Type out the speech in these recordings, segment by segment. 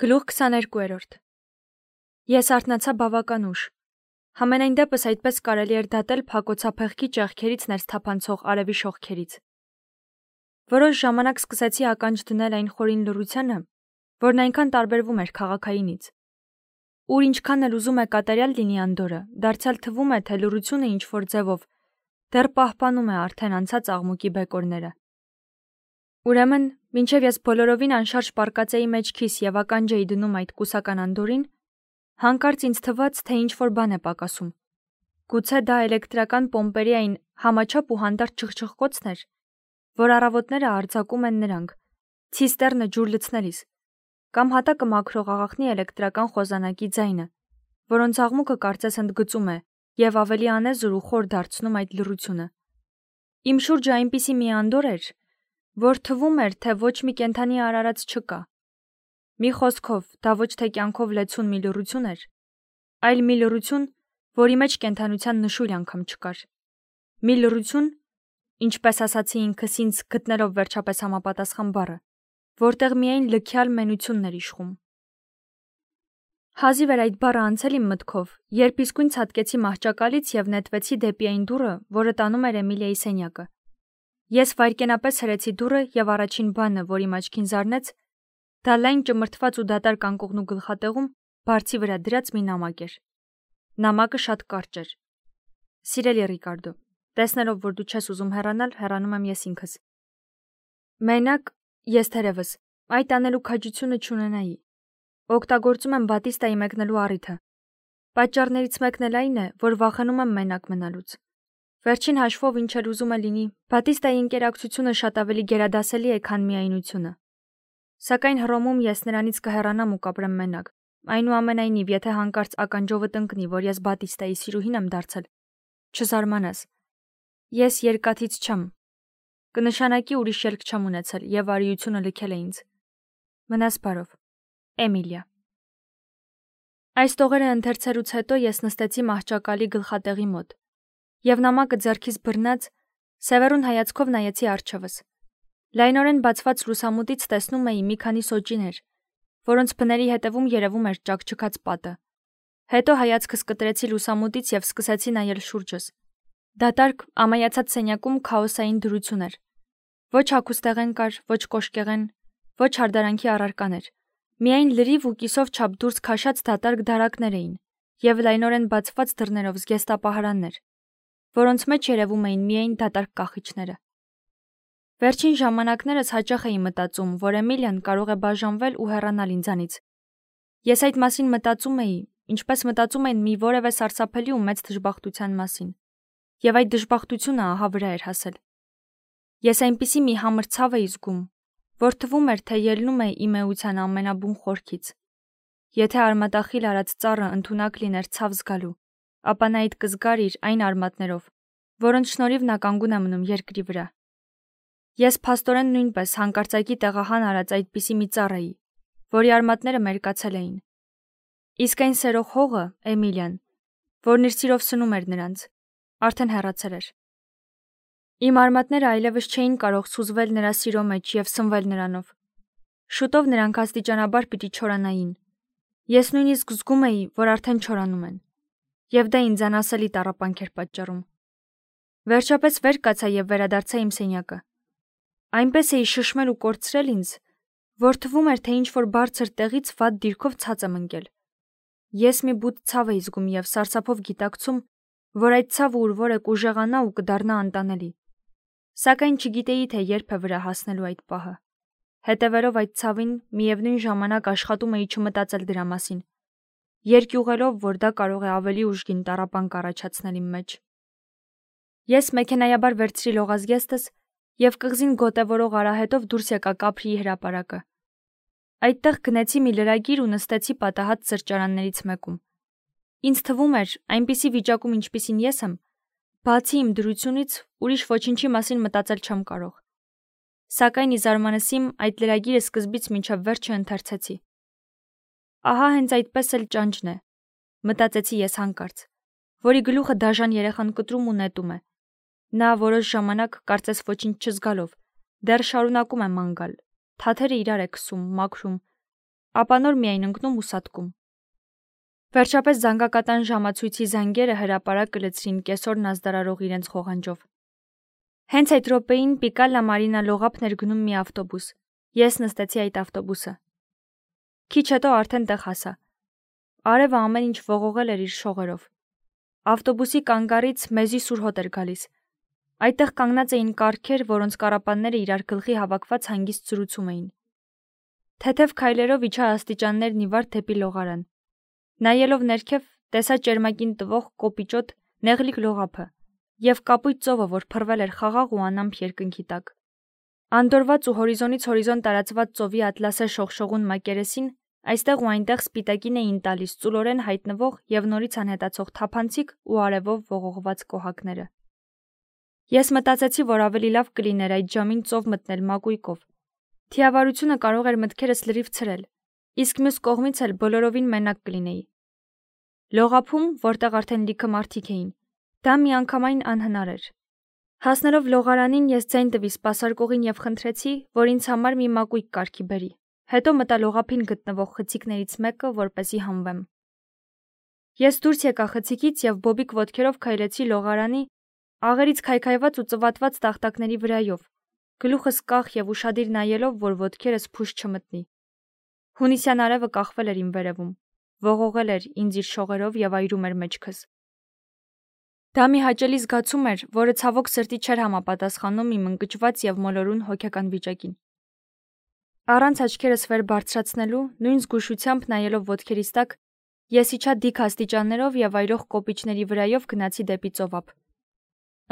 Գլուխ 22-րդ Ես արթնացա բավական ուշ։ Համենայն դեպս այդպես կարելի էր դատել փակոցափեղկի ճեղքերից ներս թափանցող արևի շողքերից։ Որոշ ժամանակ սկսեցի ականջ դնել այն խորին լռությանը, որն այնքան տարբերվում էր քաղաքայինից։ Ուր ինչքան էլ ուզում է կատարյալ լինի Անդորը, դարձյալ թվում է, թե լռությունը ինչ-որ ձևով դեռ պահպանում է արդեն անցած աղմուկի բեկորները։ Ուրեմն, մինչև ես բոլորովին անշարժ պառկած էի մեջքիս և ականջ էի դնում այդ կուսական Անդորին, հանկարծ ինձ թվաց, թե ինչ-որ բան է պակասում։ Գուցե դա էլեկտրական պոմպերի այն համաչափ ու հանդարտ չխչխկոցն էր, որ առավոտները արձակում են նրանք, ցիստեռնը ջուր լցնելիս, կամ հատակը մաքրող աղախնի էլեկտրական խոզանակի ձայնը, որոնց աղմուկը կարծես ընդգծում է և ավելի անեզր ու խոր դարձնում այդ լռությունը։ Իմ շուրջը այնպիսի մի Անդոր էր, որ թվում էր, թե ոչ մի կենդանի արարած չկա։ Մի խոսքով, դա ոչ թե կյանքով լեցուն մի լռություն էր, այլ մի լռություն, որի մեջ կենդանության նշույլ անգամ չկար։ Մի լռություն, ինչպես ասացի ինքս ինձ գտնելով վերջապես համապատասխան բառը, որտեղ միայն լքյալ մենությունն էր իշխում։ Հազիվ էր այդ բառը անցել իմ մտքով, երբ իսկույն ցատկեցի մահճակալից և նետվեցի դեպի այն դուռը, որը տանում էր Էմիլիայի սենյակը։ Ես վայրկենապես հրեցի դուռը և առաջին բանը, որ իմ աչքին զարնեց, դա լայն ճմրթված ու դատարկ անկողնու գլխատեղում բարձի վրա դրած մի նամակ էր։ Նամակը շատ կարճ էր։ Սիրելի Ռիկարդո, տեսնելով, որ դու չես ուզում հեռանալ, հեռանում եմ ես ինքս։ Մենակ ես թերևս այդ անելու քաջությունը չունենայի։ Օգտագործում եմ Բատիստայի մեկնելու առիթը։ Պատճառներից մեկն էլ այն է, որ վախենում եմ մենակ մնալուց։ Վերջին հաշվով ինչ էլ ուզում է լինի, Բատիստայի ինկերակցությունը շատ ավելի գերադասելի է, քան միայնությունը։ Սակայն Հռոմում ես նրանից կհեռանամ ու կապրեմ մենակ։ Այնուամենայնիվ, եթե հանկարծ ականջովդ ընկնի, որ ես Բատիստայի սիրուհին եմ դարձել, չզարմանաս։ Ես երկաթից չեմ։ Կնշանակի ուրիշ ելք չեմ ունեցել և արիությունը լքել է ինձ։ Մնաս բարով։ Էմիլիա։ Այս տողերը ընթերցելուց հետո ես նստեցի մահճակալի գլխատեղի մոտ և նամակը ձեռքիս բռնած, սևեռուն հայացքով նայեցի առջևս։ Լայնորեն բացված լուսամուտից տեսնում էի մի քանի սոճիներ, որոնց բների հետևում երևում էր ճաքճքած պատը։ Հետո հայացքս կտրեցի լուսամուտից և սկսեցի նայել շուրջս։ Դատարկ, ամայացած սենյակում քաոսային դրություն էր։ Ոչ հագուստեղեն կար, ոչ կոշկեղեն, ոչ հարդարանքի առարկաներ։ Միայն լրիվ ու կիսով չափ դուրս քաշած դատարկ դարակներ էին և լայնորեն բացված դռներով զգեստապահարաններ, որոնց մեջ երևում էին միայն դատարկ կախիչները։ Վերջին ժամանակներս հաճախ էի մտածում, որ Էմիլիան կարող է բաժանվել ու հեռանալ ինձանից։ Ես այդ մասին մտածում էի, ինչպես մտածում են մի որևէ սարսափելի ու մեծ դժբախտության մասին, և այդ դժբախտությունը ահա վրա էր հասել։ Ես այնպիսի մի համր ցավ էի զգում, որ թվում էր, թե ելնում է իմ էության ամենաբուն խորքից։ Եթե արմատախիլ արած ծառը ընդունակ լիներ ցավ զգալու, ապա նա այդ կզգար իր այն արմատներով, որոնց շնորհիվ նա կանգուն է մնում երկրի վրա։ Ես փաստորեն նույնպես հանկարծակի տեղահան արած այդպիսի մի ծառ էի, որի արմատները մերկացել էին։ Իսկ այն սերող հողը, Էմիլիան, որն իր սիրով սնում էր նրանց, արդեն հեռացել էր։ Իմ արմատները այլևս չէին կարող սուզվել նրա սիրո մեջ և սնվել նրանով։ Շուտով նրանք աստիճանաբար պիտի չորանային։ Ես նույնիսկ զգում էի, որ արդեն չորանում են, և դա ինձ անասելի տառապանք էր պատճառում։ Վերջապես վեր կացա և վերադարձա իմ սենյակը։ Այնպես էի շշմել ու կորցրել ինձ, որ թվում էր, թե ինչ-որ բարձր տեղից վատ դիրքով ցած եմ ընկել։ Ես մի բութ ցավ էի զգում և սարսափով գիտակցում, որ այդ ցավը ուր որ է կուժեղանա ու կդառնա անտանելի։ Սակայն չգիտեի, թե երբ է վրա հասնելու այդ պահը։ Հետևելով այդ ցավին, միևնույն ժամանակ աշխատում էի չմտածել դրա մասին, երկյուղելով, որ դա կարող է ավելի ուժգին տառապանք առաջացնել իմ մեջ։ Ես մեքենայաբար վերցրի լողազգեստս և կղզին գոտևորող արահետով դուրս եկա Կապրիի հրապարակը։ Այդտեղ գնեցի մի լրագիր ու նստեցի պատահած սրճարաններից մեկում։ Ինձ թվում էր, այնպիսի վիճակում, ինչպիսին ես եմ, բացի իմ դրությունից, ուրիշ ոչինչի մասին մտածել չեմ կարող։ Սակայն ի զարմանս իմ, այդ լրագիրը սկզբից մինչև վերջը ընթերցեցի։ Ահա հենց այդպես էլ ճանճն է, մտածեցի ես հանկարծ, որի գլուխը դաժան երեխան կտրում ու նետում է։ Նա որոշ ժամանակ, կարծես ոչինչ չզգալով, դեռ շարունակում է ման գալ, թաթերը իրար է քսում, մաքրում, ապա նոր միայն ընկնում ու սատկում։ Վերջապես զանգակատան ժամացույցի զանգերը հրապարակ կլցրին կեսօրն ազդարարող իրենց խողանջով։ Հենց այդ րոպեին Պիկալա Մարինա լողափն էր գնում մի ավտոբուս։ Ես նստեցի այդ ավտոբուսը։ Քիչ հետո արդեն տեղ հասա։ Արևը ամեն ինչ ողողել էր իր շողերով։ Ավտոբուսի կանգառից մեզի սուր հոտ էր գալիս։ Այդտեղ կանգնած էին կառքեր, որոնց կառապանները իրար գլխի հավաքված հանգիստ զրուցում էին։ Թեթև քայլերով իջա աստիճաններն ի վար դեպի լողարան։ Նայելով ներքև, տեսա ճերմակին տվող կոպիճոտ նեղլիկ լողափը և կապույտ ծովը, որ փռվել էր խաղաղ ու անամպ երկնքի տակ։ Անդորված ու հորիզոնից հորիզոն տարածված ծովի ատլասե շողշողուն մակերեսին այստեղ ու այնտեղ սպիտակին էին տալիս ծուլորեն հայտնվող և նորից անհետացող թափանցիկ ու արևով ողողված կոհակները։ Ես մտածեցի, որ ավելի լավ կլիներ այդ ժամին ծով մտնել մակույկով։ Թիավարությունը կարող էր մտքերս լրիվ ցրել, իսկ մյուս կողմից էլ բոլորովին մենակ կլինեի։ Լողափում, որտեղ արդեն լիքը մարդիկ էին, դա միանգամայն անհնար էր։ Հասնելով լողարանին, ես ձայն տվի սպասարկողին և խնդրեցի, որ ինձ համար մի մակույկ կարգի բերի։ Հետո մտա լողափին գտնվող խցիկներից մեկը, որպեսզի հանվեմ։ Ես դուրս եկա խցիկից և բոբիկ ոտքերով քայլեցի լողարանի աղերից քայքայված ու ծվատված տախտակների վրայով, գլուխս կախ և ուշադիր նայելով, որ ոտքերս փուշ չմտնի։ Հունիսյան արևը կախվել էր իմ վերևում, ողողել էր ինձ իր շողերով և այրում էր մեջքս։ Դա մի հաճելի զգացում էր, որը ցավոք սրտի չէր համապատասխանում իմ ընկճված և մոլորուն հոգեկան վիճակին։ Առանց աչքերս վեր բարձրացնելու, նույն զգուշությամբ նայելով ոտքերիս տակ, ես իջա դիք աստիճաններով և այրող կոպիճների վրայով գնացի դեպի ծովափ։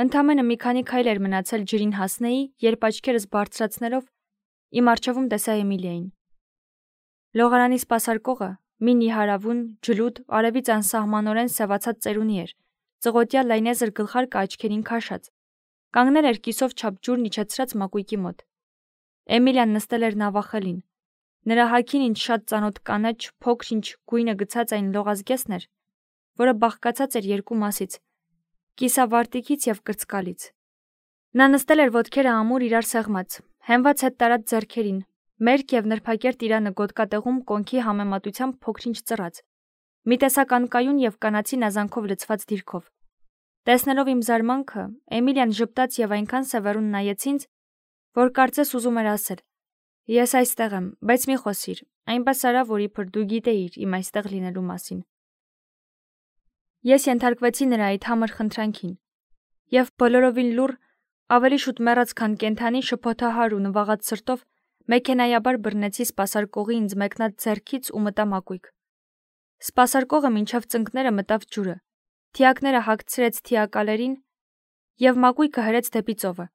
Ընդամենը մի քանի քայլ էր մնացել ջրին հասնեի, երբ աչքերս բարձրացնելով իմ առջևում տեսա Էմիլիային։ Լողարանի սպասարկողը մի նիհարավուն, ջլուդ, արևից անսահմանորեն սևացած ծերունի էր, ծղոտյա լայնեզր գլխարկը աչքերին քաշած, կանգնել էր կիսով չափ ջուրն իջեցրած մակույկի մոտ։ Էմիլիան նստել էր նավախելին։ Նրա հագին ինձ շատ ծանոթ կանաչ, փոքր-ինչ գույնը գցած այն լողազգեսն էր, որը բաղկացած էր երկու մասից՝ կիսավարտիքից և կրծկալից։ Նա նստել էր ոտքերը ամուր իրար սեղմած, հենված հետ տարած ձեռքերին, մերկ և նրբակերտ իրանը գոտկատեղում կոնքի համեմատությամբ փոքր-ինչ ծռած, մի տեսակ անկայուն և կանացի նազանքով լցված դիրքով։ Տեսնելով իմ զարմանքը, Էմիլիան ժպտաց և այնքան սևեռուն նայեց ինձ, որ կարծես ուզում էր ասել. «Ես այստեղ եմ, բայց մի խոսիր, այնպես արա, որ իբր դու գիտեիր իմ այստեղ լինելու մասին»։ Ես ենթարկվեցի նրա այդ համր խնդրանքին և բոլորովին լուռ, ավելի շուտ մեռած, քան կենդանի, շփոթահար ու նվաղած սրտով մեքենայաբար բռնեցի սպասարկողի ինձ մեկնած ձեռքից ու մտա մակույկ։ Սպասարկողը մինչև ծնկները մտավ ջուրը, թիակները հագցրեց թիակալերին և մակույկը հրեց դեպի ծովը։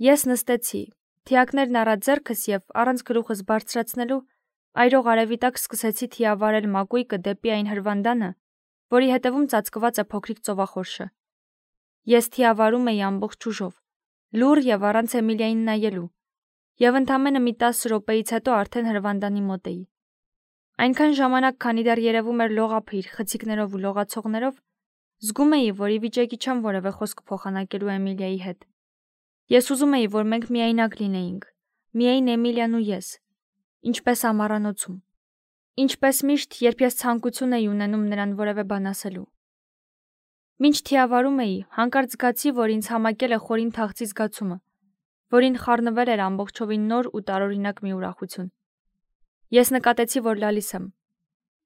Ես նստեցի, թիակներն առա ձեռքս և, առանց գլուխս բարձրացնելու, այրող արևի տակ սկսեցի թիավարել մակույկը դեպի այն հրվանդանը, որի հետևում ծածկված է փոքրիկ ծովախորշը։ Ես թիավարում էի ամբողջ ուժով, լուռ և առանց Էմիլիային նայելու, և ընդամենը մի 10 րոպեից հետո արդեն հրվանդանի մոտ էի։ Այնքան ժամանակ, քանի դեռ երևում էր լողափը իր խցիկներով ու լողացողներով, զգում էի, որ ի վիճակի չեմ որևէ խոսք փոխանակելու Էմիլիայի հետ։ Ես ուզում էի, որ մենք միայնակ լինեինք, միայն Էմիլիան ու ես, ինչպես ամառանոցում, ինչպես միշտ, երբ ես ցանկություն էի ունենում նրան որևէ բան ասելու։ Մինչ թիավարում էի, հանկարծ զգացի, որ ինձ համակել է խորին թախծի զգացումը, որին խառնվել էր ամբողջովին նոր ու տարօրինակ մի ուրախություն։ Ես նկատեցի, որ լալիս եմ։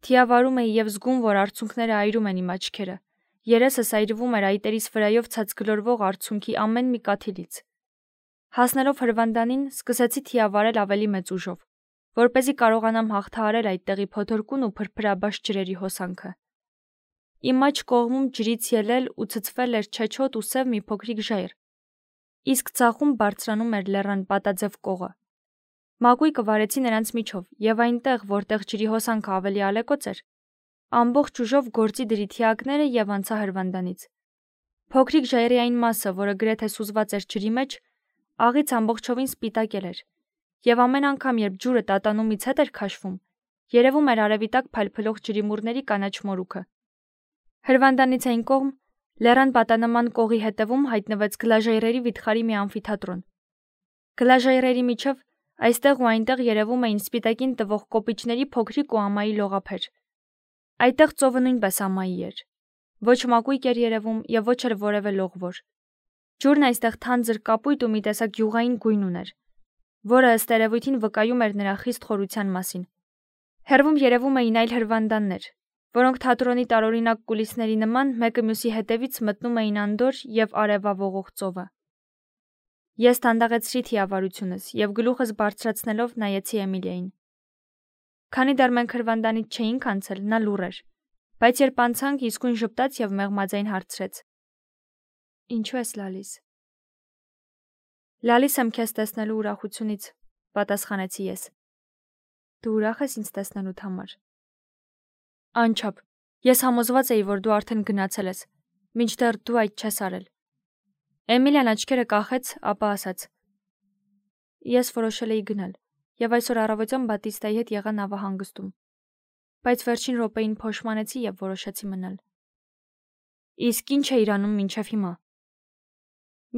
Թիավարում էի և զգում, որ արցունքները այրում են իմ աչքերը, երեսս այրվում էր այտերիս վրայով ցած գլորվող արցունքի ամեն մի կաթիլից։ Հասնելով հրվանդանին, սկսեցի թիավարել ավելի մեծ ուժով, որպեսզի կարողանամ հաղթահարել այդտեղի փոթորկուն ու փրփրաբաշ ջրերի հոսանքը։ Իմ աջ կողմում ջրից ելել ու ցցվել էր չեչոտ ու սև մի փոքրիկ ժայռ, իսկ ձախում բարձրանում էր լեռան պատաձև կողը։ Մակույկը վարեցի նրանց միջով և այնտեղ, որտեղ ջրի հոսանքը ավելի ալեկոծ էր, ամբողջ ուժով գործի դրի թիակները և անցա հրվանդանից։ Փոքրիկ ժայռի այն մասը, որը գրեթե սուզված էր ջրի մեջ, աղից ամբողջովին սպիտակել էր, և ամեն անգամ, երբ ջուրը տատանումից հետ էր քաշվում, երևում էր արևի տակ փայլփլող ջրիմուռների կանաչ մորուքը։ Հրվանդանից այն կողմ, լեռան պատանման կողի հետևում հայտնվեց գլաժայռերի վիթխարի մի ամֆիթատրոն։ Գլաժայռերի միջև Այստեղ ու այնտեղ երևում էին սպիտակին տվող կոպիճների փոքրիկ ու ամայի լողափեր։ Այդտեղ ծովը նույնպես ամայի էր։ Ոչ մակույկ էր երևում եւ ոչ էլ որևէ լողվոր։ Ջուրն այստեղ թանձր կապույտ ու մի տեսակ յուղային գույն ուներ, որը ըստ երևույթին վկայում էր նրա խիստ խորության մասին։ Հեռվում երևում էին այլ հրվանդաններ, որոնք թատրոնի տարօրինակ կուլիսների նման մեկը մյուսի հետևից մտնում էին անդորր եւ արևավողող ծովը։ Ես դանդաղեցրի թիավարությունս եւ գլուխս բարձրացնելով նայեցի Էմիլիային։ Քանի դեռ մենք հրվանդանից չէինք անցել, նա լուռ էր, բայց երբ անցանք, իսկույն ժպտաց եւ մեղմաձայն հարցրեց. Ինչու ես լալիս։ Լալիս եմ քեզ տեսնելու ուրախությունից, պատասխանեցի ես։ Դու ուրախ ես ինձ տեսնելուդ համար։ Անչափ, ես համոզված էի, որ դու արդեն գնացել ես, մինչդեռ դու այդ չես արել։ Էմիլիան աչքերը կախեց, ապա ասաց. Ես որոշել էի գնալ, եւ այսօր առավոտյան Բատիստայի հետ եղա նավահանգստում, բայց վերջին րոպեին փոշմանեցի եւ որոշեցի մնալ։ Իսկ ինչ էիր անում մինչև հիմա։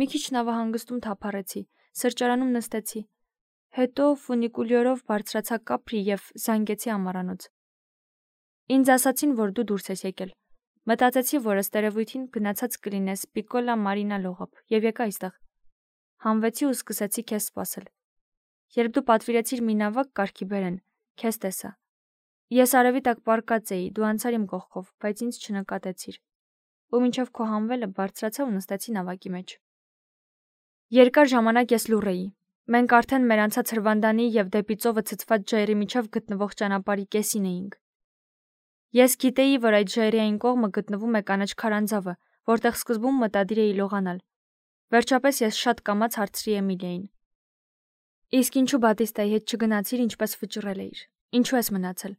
Մի քիչ նավահանգստում թափառեցի, սրճարանում նստեցի, հետո ֆունիկուլյորով բարձրացա Կապրի եւ զանգեցի ամառանոց։ Ինձ ասացին, որ դու դուրս ես եկել։ Մտածեցի, որ ըստ երևույթին գնացած կլինես Պիկոլա Մարինա լողապ եւ եկա այստեղ։ Հանվեցի ու սկսեցի քեզ սպասել։ Երբ դու պատվիրեցիր մի նավակ կարգի բերեն, քեզ տեսա։ Ես արևի տակ պառկած էի, դու անցար իմ կողքով, բայց ինձ չնկատեցիր։ Ու մինչև քո հանվելը բարձրացա ու նստեցի նավակի մեջ։ Երկար ժամանակ ես լուռ էի։ Մենք արդեն մեր անցած հրվանդանի եւ դեպի ծովը ցցված ջայրի միջև գտնվող ճանապարհի կեսին էինք։ Ես գիտեի, որ այդ ջայրի այն կողմը գտնվում է կանաչ քարանձավը, որտեղ սկզբում մտադիր էի լողանալ։ Վերջապես ես շատ կամաց հարցրի Էմիլիային. Իսկ ինչու Բատիստայի հետ չգնացիր, ինչպես վճռել էիր։ Ինչու ես մնացել։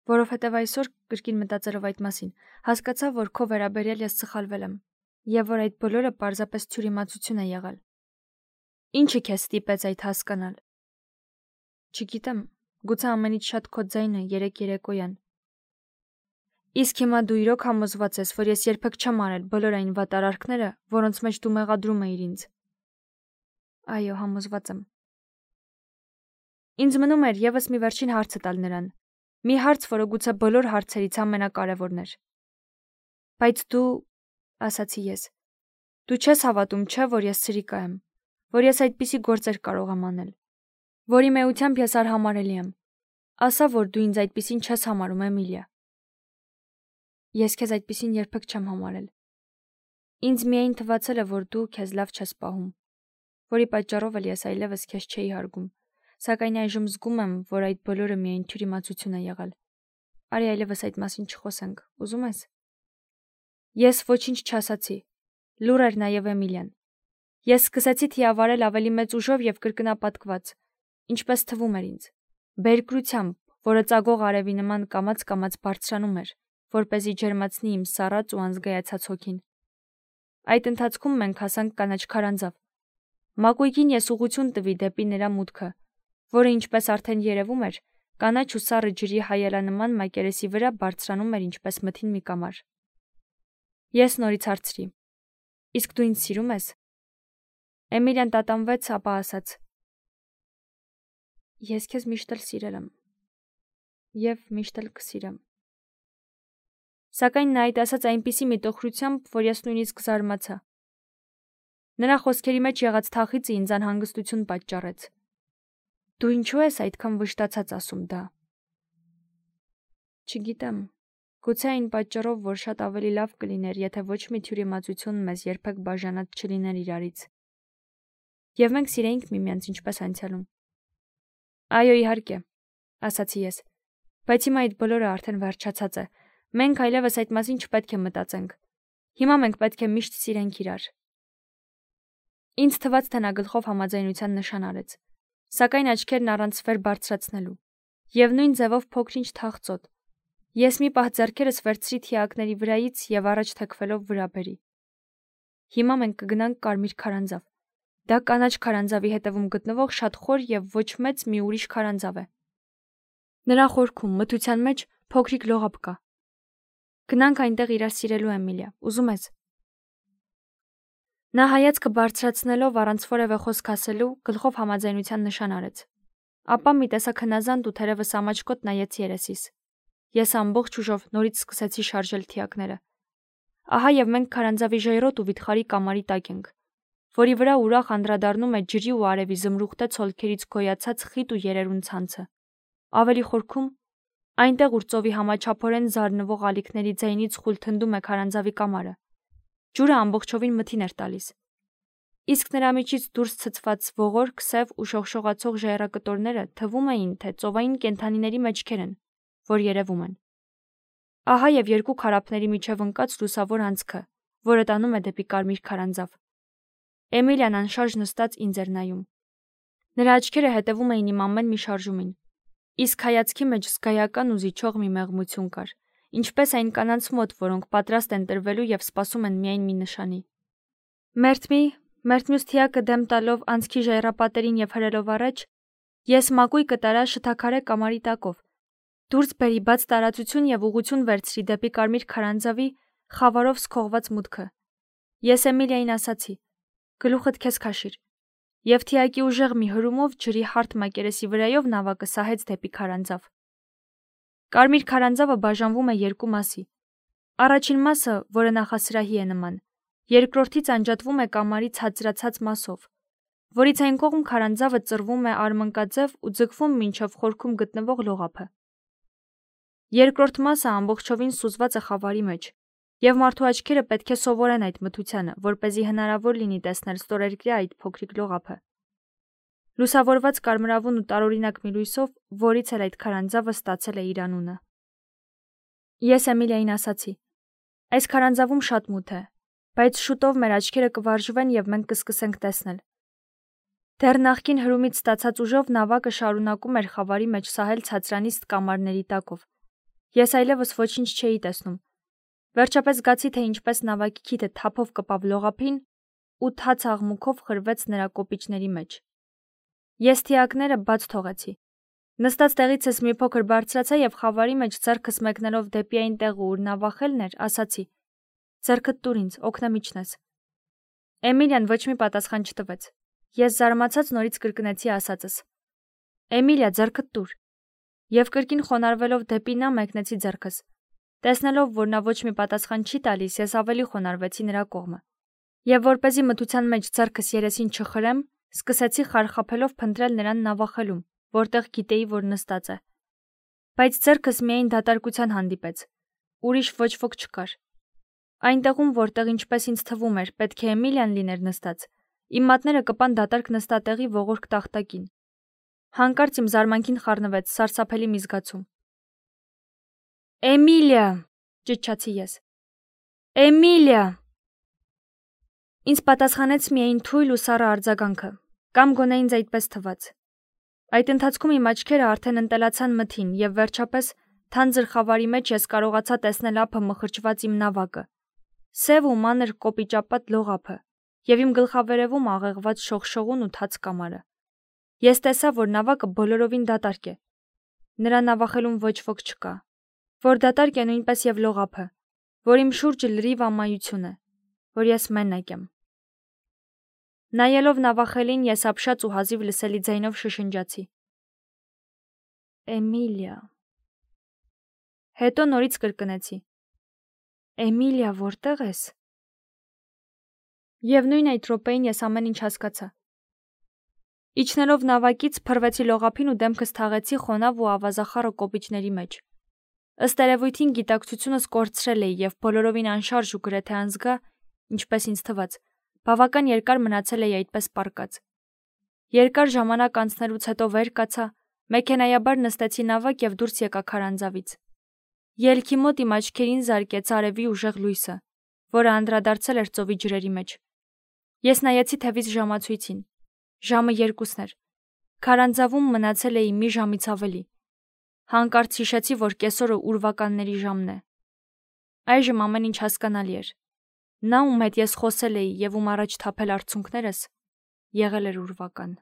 Որովհետև այսօր կրկին մտածելով այդ մասին, հասկացա, որ քո վերաբերյալ ես սխալվել եմ, եւ որ այդ բոլորը պարզապես թյուրիմացություն է եղել։ Ինչը քեզ ստիպեց այդ հասկանալ։ Չգիտեմ, գուցե ամենից շատ քո ձայնը երեկոյան։ Իսկ հիմա դու իրոք համոզված ես, որ ես երբեք չեմ արել բոլոր այն վատարարքները, որոնց մեջ դու մեղադրում էիր ինձ։ Այո, համոզված եմ։ Ինձ մնում էր եւս մի վերջին հարցը տալ նրան։ Մի հարց, որը գուցե բոլոր հարցերից ամենակարևորն էր։ Բայց դու, ասացի ես, դու չես հավատում, չէ, որ ես սրիկա եմ, որ ես այդպիսի գործեր կարող եմ անել, որի մեությամբ ես արհամարելի եմ։ Ասա, որ դու ինձ այդպիսին չես համարում, Էմիլիա։ Ես քեզ այդպիսին երբեք չեմ համարել։ Ինձ միայն թվացել է, որ դու քեզ լավ չես պահում, որի պատճառով էլ ես այլևս քեզ չէի հարգում, սակայն այժմ զգում եմ, որ այդ բոլորը միայն թյուրիմացություն է եղել։ Արի այլևս այդ մասին չխոսենք, ուզում ես։ Ես ոչինչ չասացի։ Լուռ էր նաև Էմիլիան։ Ես սկսեցի թիավարել ավելի մեծ ուժով եւ կրկնապատկված, ինչպես թվում էր ինձ, բերկրությամբ, որը ծագող արևի նման կամաց-կամաց բարձրանում էր, որպեսզի ջերմացնի իմ սառած ու անզգայացած հոգին։ Այդ ընթացքում մենք հասանք կանաչ քարանձավ։ Մակույկին ես ուղղություն տվի դեպի նրա մուտքը, որը ինչպես արդեն երևում էր, կանաչ ու սառը ջրի հայելանման մակերեսի վրա բարձրանում էր ինչպես մթին մի կամար։ Ես նորից հարցրի. Իսկ դու ինձ սիրում ես։ Էմիլիան տատանվեց, ապա ասաց. Ես քեզ միշտ էլ սիրել եմ եւ միշտ էլ կսիրեմ։ Սակայն նա այդ ասաց այնպիսի միտոխրությամբ, որ ես նույնիսկ զարմացա։ Նրա խոսքերի մեջ եղած թախիծը ինձ անհանգստություն պատճառեց։ Դու ինչու ես այդքան վշտացած ասում դա։ Չգիտեմ, գուցե այն պատճառով, որ շատ ավելի լավ կլիներ, եթե ոչ մի թյուրիմացություն մեզ երբեք բաժանած չլիներ իրարից։ Եվ մենք սիրեինք միմյանց ինչպես անցյալում։ Այո, իհարկե, ասացի ես, բայց հիմա այդ բոլորը արդեն վերջացած է։ Մենք այլևս այդ մասին չպետք է մտածենք։ Հիմա մենք պետք է միշտ սիրենք իրար։ Ինձ թվաց, թե նա գլխով համաձայնության նշան արեց, սակայն աչքերն առանց վեր բարձրացնելու, եւ նույն ձևով փոքրինչ թախծոտ։ Ես մի պահ ձեռքերս վերցրի թիակների վրայից եւ առաջ թեքվելով վրա բերի։ Հիմա մենք կգնանք Կարմիր քարանձավ։ Դա կանաչ քարանձավի հետևում գտնվող շատ խոր եւ ոչ մեծ մի ուրիշ քարանձավ է։ Նրա խորքում մթության մեջ փոքրիկ լողապ կա։ Գնանք այնտեղ իրար սիրելու, Էմիլիա, ուզում ես։ Նա հայացքը բարձրացնելով առանց որևէ խոսք ասելու գլխով համաձայնության նշան արեց։ Ապա մի տեսակ հնազանդ ու թերևս ամաչկոտ նայեց երեսիս։ Ես ամբողջ ուժով նորից սկսեցի շարժել թիակները։ Ահա եւ մենք քարանձավի ժայռոտ ու վիթխարի կամարի տակ ենք, որի վրա ուրախ անդրադառնում է ջրի ու արևի զմրուխտե ցոլքերից գոյացած խիտ ու երերուն ցանցը։ Ավելի խորքում, այնտեղ ուր ծովի համաչափորեն զարնվող ալիքների ձայնից խուլ թնդում է քարանձավի կամարը, ջուրը ամբողջովին մթին էր տալիս։ Իսկ նրա միջից դուրս ցցված ողորկ, սև ու շողշողացող ժայռակտորները թվում էին, թե ծովային կենդանիների մեջքեր են, որ երևում են։ Ահա եւ երկու քարափների միջև ընկած լուսավոր անցքը, որը տանում է դեպի կարմիր քարանձավ։ Էմիլիան անշարժ նստած ինձ էր նայում։ Նրա աչքերը հետևում էին իմ ամեն մի շարժումին, իսկ հայացքի մեջ զգայական ու զիջող մի մեղմություն կար, ինչպես այն կանանց մոտ, որոնք պատրաստ են տրվելու եւ սպասում են միայն մի նշանի։ Մերթ մյուս թիակը դեմ տալով անցքի ժայռապատերին եւ հրելով առաջ, ես մակույ կտարա շթաքարե կամարի տակով, դուրս բերի բաց տարածություն եւ ուղղություն վերցրի դեպի կարմիր քարանձավի խավարով սքողված մուտքը։ Ես Էմիլիային ասացի. «Գլուխդ քեզ քաշիր», եւ թիակի ուժեղ մի հրումով ջրի հարթ մակերեսի վրայով նավակը սահեց դեպի քարանձավ։ Կարմիր քարանձավը բաժանվում է երկու մասի։ Առաջին մասը, որը նախասրահի է նման, երկրորդից անջատվում է կամարի ցածրացած մասով, որից այն կողմ քարանձավը ծռվում է արմնկաձև ու ձգվում մինչև խորքում գտնվող լողափը։ Երկրորդ մասը ամբողջովին սուզված է խավարի մեջ, եւ մարդու աչքերը պետք է սովորեն այդ մթությանը, որպեսզի հնարավոր լինի տեսնել ստորերկրյա այդ փոքրիկ լողափը։ Լուսավորված կարմրավուն ու տարօրինակ մի լույսով, որից էլ այդ քարանձավը ստացել է իր անունը։ Ես Էմիլիային ասացի. «Այս քարանձավում շատ մութ է, բայց շուտով մեր աչքերը կվարժվեն եւ մենք կսկսենք տեսնել»։ Դեռ նախկին հրումից ստացած ուժով նավակը շարունակում էր խավարի մեջ սահել ցածրանիստ կամարների տակով։ Ես այլևս ոչինչ չէի տեսնում։ Վերջապես զգացի, թե ինչպես նավակի քիթը թափով կպավ լողափին ու թաց աղմուկով խրվեց նրա կոպիճների մեջ։ Ես թիակները բաց թողեցի։ Նստած տեղիցս մի փոքր բարձրացա եւ խավարի մեջ ձեռքս մեկնելով դեպի այն տեղը, ուր նավախելն էր, ասացի. «Ձեռքդ տուր ինձ, օգնամիջն ես»։ Էմիլիան ոչ մի պատասխան չտվեց։ Ես զարմացած նորից կրկնեցի ասածս. «Էմիլիա, ձեռքդ տուր»։ Եվ կրկին խոնարհվելով դեպի նա մեկնեցի ձեռքս։ Տեսնելով, որ նա ոչ մի պատասխան չի տալիս, ես ավելի խոնարհվեցի նրա կողմը։ Եվ որպեսզի մթության մեջ ձեռքս երեսին չխրեմ, սկսեցի խարխափելով փնտրել նրան նավախելում, որտեղ գիտեի, որ նստած է։ Բայց ձեռքս միայն դատարկության հանդիպեց։ Ուրիշ ոչ ոք չկար։ Այնտեղում, որտեղ ինչպես ինձ թվում էր, պետք է Էմիլիան լիներ նստած, իմ մատները կպան դատարկ նստատեղի ողորկ տախտակին։ Հանկարծ իմ զարմանքին խառնվեց սարսափելի մի զգացում։ «Էմիլիա», ճչացի ես։ «Էմիլիա»։ Ինձ պատասխանեց միայն թույլ ու սառը արձագանքը, կամ գոնե ինձ այդպես թվաց։ Այդ ընթացքում իմ աչքերը արդեն ընտելացան մթին եւ վերջապես թանձր խավարի մեջ ես կարողացա տեսնել ափը մխրճված իմ նավակը, սև ու մանր կոպիճապատ լողափը եւ իմ գլխավերևում աղեղված շողշողուն ու թաց կամարը։ Ես տեսա, որ նավակը բոլորովին դատարկ է։ Նրա նավախելում ոչ ոք չկա, որ դատարկ է նույնպես եւ լողափը, որ իմ շուրջը լրիվ ամայություն է, որ ես մենակ եմ։ Նայելով նավախելին, ես ապշած ու հազիվ լսելի ձայնով շշնջացի. «Էմիլիա»։ Հետո նորից կրկնեցի. «Էմիլիա, որտե՞ղ ես»։ Եվ նույն այդ րոպեին ես ամեն ինչ հասկացա։ Իջնելով նավակից փռվեցի լողափին ու դեմքս թաղեցի խոնավ ու ավազախառը կոպիճների մեջ։ Ըստ երևույթին գիտակցությունս կորցրել էի եւ բոլորովին անշարժ ու գրեթե անզգա, ինչպես ինձ թվաց, բավական երկար մնացել էի այդպես պառկած։ Երկար ժամանակ անցնելուց հետո վեր կացա, մեքենայաբար նստեցի նավակ եւ դուրս եկա քարանձավից։ Ելքի մոտ իմ աչքերին զարկեց արևի ուժեղ լույսը, որը անդրադարձել էր ծովի ջրերի մեջ։ Ես նայեցի թևից ժամացույցին։ Ժամը 2-ն էր։ Քարանձավում մնացել էի մի ժամից ավելի։ Հանկարծ հիշեցի, որ կեսօրը ուրվականների ժամն է։ Այժմ ամեն ինչ հասկանալի էր։ Նա, ում հետ ես խոսել էի եւ ում առաջ թափել արցունքներս, եղել էր ուրվական։